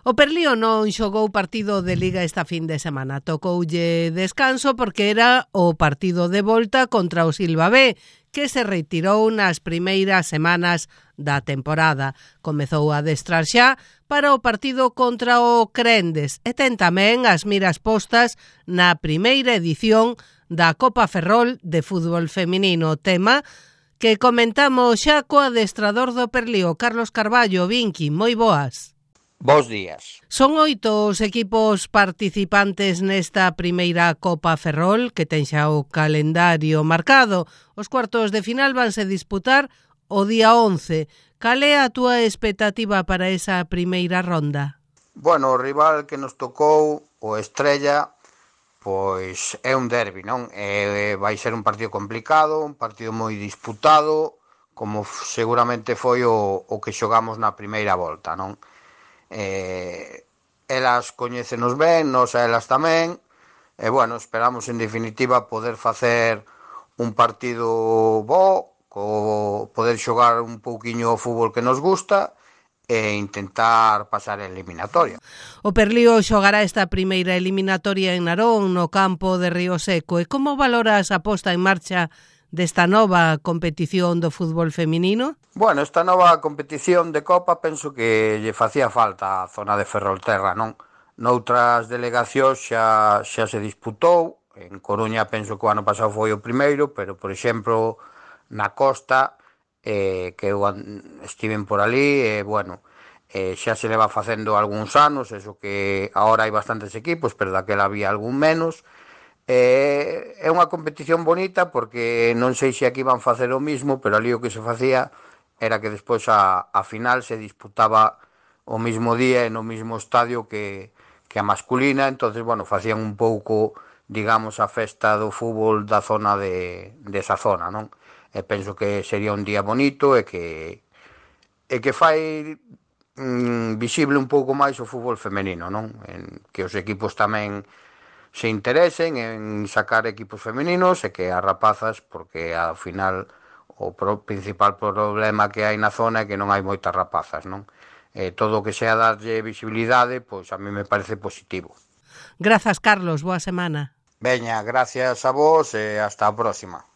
O Perlío non xogou partido de Liga esta fin de semana. Tocoulle descanso porque era o partido de volta contra o Silva B, que se retirou nas primeiras semanas da temporada. Comezou a adestrar xa para o partido contra o Crendes e ten tamén as miras postas na primeira edición da Copa Ferrol de fútbol feminino, tema que comentamos xa co adestrador do Perlío, Carlos Carballo. Vinqui, moi boas. Bos días. Son 8 os equipos participantes nesta primeira Copa Ferrol, que ten xa o calendario marcado. Os cuartos de final vanse disputar o día 11. Cal é a túa expectativa para esa primeira ronda? Bueno, o rival que nos tocou, o Estrella, pois é un derbi, non? Vai ser un partido complicado, un partido moi disputado, como seguramente foi o que xogamos na primeira volta, non? Elas coñécenos ben, nós a elas tamén, e bueno, esperamos en definitiva poder facer un partido bo, poder xogar un pouquiño o fútbol que nos gusta e intentar pasar a eliminatoria. O Perlío xogará esta primeira eliminatoria en Narón, no campo de Río Seco. E como valoras a posta en marcha desta nova competición do fútbol feminino? Bueno, esta nova competición de Copa penso que lle facía falta a zona de Ferrolterra, non? Noutras delegacións xa se disputou, en Coruña penso que o ano pasado foi o primeiro, pero, por exemplo, na costa, que eu estiven por ali, bueno, xa se leva facendo algúns anos, eso que agora hai bastantes equipos, pero daquela había algún menos. É unha competición bonita porque non sei se aquí van facer o mismo, pero ali o que se facía era que despois a final se disputaba o mismo día e no mismo estadio que a masculina, entonces, bueno, facían un pouco, digamos, a festa do fútbol da zona desa zona, non? E penso que sería un día bonito e que fai visible un pouco máis o fútbol femenino, non? Que os equipos tamén se interesen en sacar equipos femeninos e que as rapazas, porque ao final o principal problema que hai na zona é que non hai moitas rapazas, non? Todo o que sea darlle visibilidade, pois a mí me parece positivo. Grazas, Carlos, boa semana. Veña, gracias a vos e hasta a próxima.